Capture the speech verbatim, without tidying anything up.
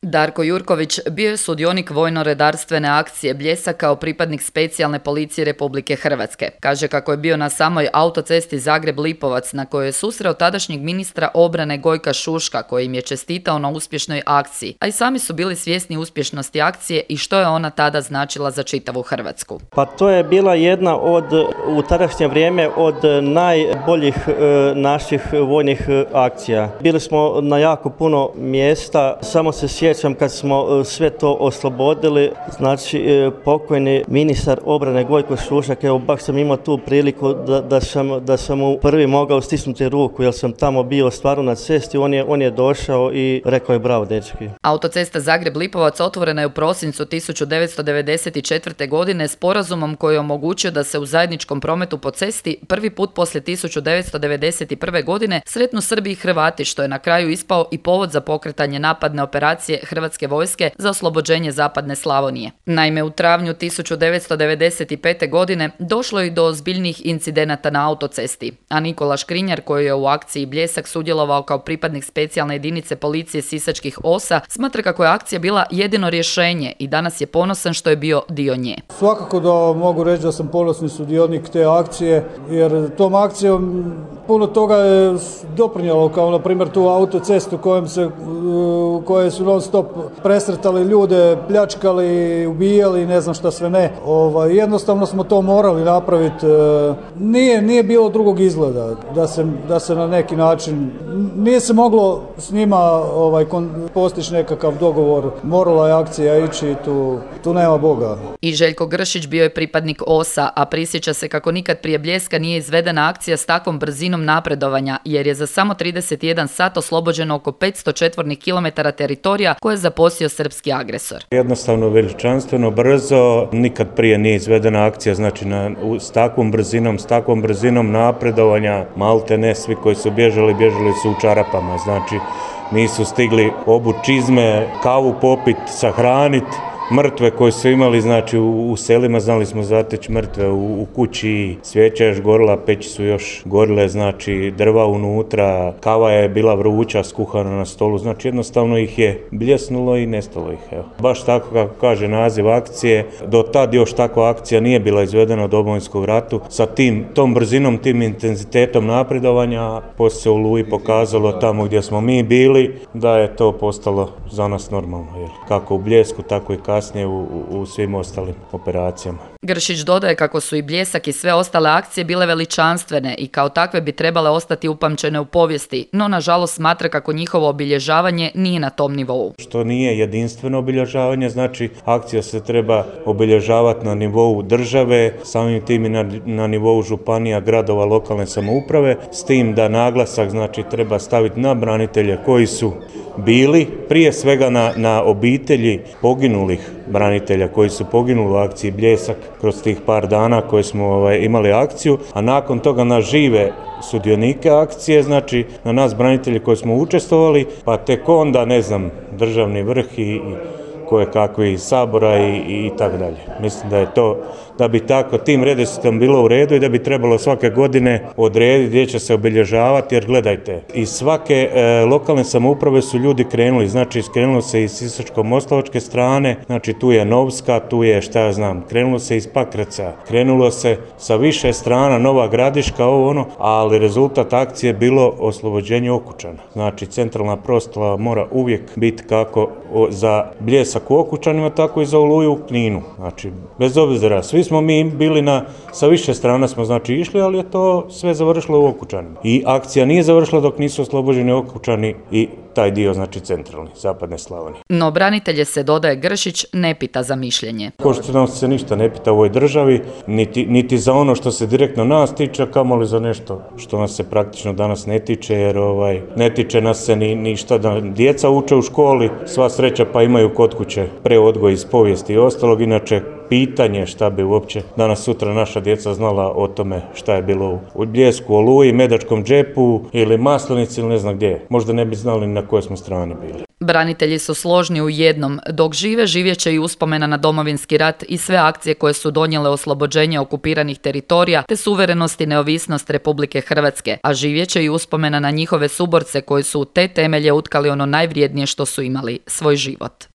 Darko Jurković bio je sudionik vojno-redarstvene akcije Bljesak kao pripadnik specijalne policije Republike Hrvatske. Kaže kako je bio na samoj autocesti Zagreb-Lipovac na kojoj je susreo tadašnjeg ministra obrane Gojka Šuška koji im je čestitao na uspješnoj akciji, a i sami su bili svjesni uspješnosti akcije i što je ona tada značila za čitavu Hrvatsku. Pa to je bila jedna od, u tadašnje vrijeme, od najboljih e, naših vojnih akcija. Bili smo na jako puno mjesta, samo se sjećam kad smo sve to oslobodili, znači e, pokojni ministar obrane Gojko Šušak, evo baš sam imao tu priliku da, da, sam, da sam mu prvi mogao stisnuti ruku jer sam tamo bio stvarno na cesti, on je, on je došao i rekao je bravo dečki. Autocesta Zagreb-Lipovac otvorena je u prosincu tisuću devetsto devedeset četvrte. godine sporazumom koji je omogućio da se u zajedničkom prometu po cesti prvi put poslije tisuću devetsto devedeset prve. godine sretnu Srbi i Hrvati, što je na kraju ispao i povod za pokretanje napadne operacije Hrvatske vojske za oslobođenje zapadne Slavonije. Naime, u travnju tisuću devetsto devedeset pete. godine došlo je do ozbiljnih incidenata na autocesti, a Nikola Škrinjar, koji je u akciji Bljesak sudjelovao kao pripadnik specijalne jedinice policije Sisačkih osa, smatra kako je akcija bila jedino rješenje i danas je ponosan što je bio dio nje. Svakako da mogu reći da sam ponosni sudionik te akcije, jer tom akcijom puno toga je doprinjelo, kao na primjer tu autocestu kojom se, koje su non stop presretali ljude, pljačkali, ubijali, ne znam šta sve ne. Ovaj, jednostavno smo to morali napraviti. Nije, nije bilo drugog izgleda da se, da se na neki način, nije se moglo s njima ovaj, postići nekakav dogovor, morala je akcija ići, tu, tu nema Boga. I Željko Gršić bio je pripadnik osa, a prisjeća se kako nikad prije Bljeska nije izvedena akcija s takvom brzinom napredovanja, jer je za samo trideset jedan sat oslobođeno oko petsto četvornih kilometara teritorija koje je zaposio srpski agresor. Jednostavno, veličanstveno, brzo, nikad prije nije izvedena akcija, znači na, s takvom brzinom, s takvom brzinom napredovanja, malte ne svi koji su bježali, bježali su u čarapama, znači nisu stigli obući čizme, kavu popit, sahraniti. Mrtve koje su imali, znači u, u selima znali smo zateći mrtve, u, u kući svijeća još gorila, peći su još gorile, znači drva unutra, kava je bila vruća, skuhana na stolu, znači jednostavno ih je bljesnulo i nestalo ih. Evo. Baš tako kako kaže naziv akcije, do tad još takva akcija nije bila izvedena u Domovinskom ratu, sa tim, tom brzinom, tim intenzitetom napredovanja, poslije se u Oluji pokazalo tamo gdje smo mi bili, da je to postalo za nas normalno, jel? Kako u Bljesku, tako i kasnije u, u, u svim ostalim operacijama. Gršić dodaje kako su i Bljesak i sve ostale akcije bile veličanstvene i kao takve bi trebale ostati upamćene u povijesti, no nažalost smatra kako njihovo obilježavanje nije na tom nivou. Što nije jedinstveno obilježavanje, znači akcija se treba obilježavati na nivou države, samim tim i na, na nivou županija, gradova, lokalne samouprave, s tim da naglasak znači treba staviti na branitelje koji su bili, prije svega na, na obitelji poginulih branitelja koji su poginuli u akciji Bljesak kroz tih par dana koje smo ovaj, imali akciju, a nakon toga na žive sudionike akcije, znači na nas branitelji koji smo učestvovali, pa tek onda, ne znam, državni vrh i, i koje kakvi iz Sabora i, i, i tako dalje. Mislim da je to, da bi tako tim redoslijedom bilo u redu i da bi trebalo svake godine odrediti gdje će se obilježavati, jer gledajte, iz svake e, lokalne samouprave su ljudi krenuli, znači krenulo se iz Sisačko-moslavačke strane, znači tu je Novska, tu je šta ja znam, krenulo se iz Pakraca, krenulo se sa više strana, Nova Gradiška, ovo ono, ali rezultat akcije je bilo oslobođenje Okučana. Znači centralna proslava mora uvijek biti kako o, za Bljesak u Okučanima, tako i za Oluju u Kninu. Znači, bez obzira, svi smo mi bili na, sa više strana smo znači išli, ali je to sve završilo u Okučanima. I akcija nije završila dok nisu oslobođeni Okučani i taj dio, znači centralni, zapadne Slavonije. No branitelje se, dodaje Gršić, ne pita za mišljenje. Ko što nam se ništa ne pita u ovoj državi, niti, niti za ono što se direktno nas tiče, kamoli za nešto što nas se praktično danas ne tiče, jer ovaj, ne tiče nas se ni, ni šta da djeca uče u školi, sva sreća pa imaju kod kuće preodgoj iz povijesti i ostalog, inače pitanje šta bi uopće danas sutra naša djeca znala o tome šta je bilo u Bljesku, Oluji, Medačkom džepu ili Maslenici ili ne znam gdje. Možda ne bi znali na kojoj smo strani bili. Branitelji su složni u jednom. Dok žive, živjet će i uspomena na Domovinski rat i sve akcije koje su donijele oslobođenje okupiranih teritorija te suverenost i neovisnost Republike Hrvatske, a živjet će i uspomena na njihove suborce koji su u te temelje utkali ono najvrijednije što su imali, svoj život.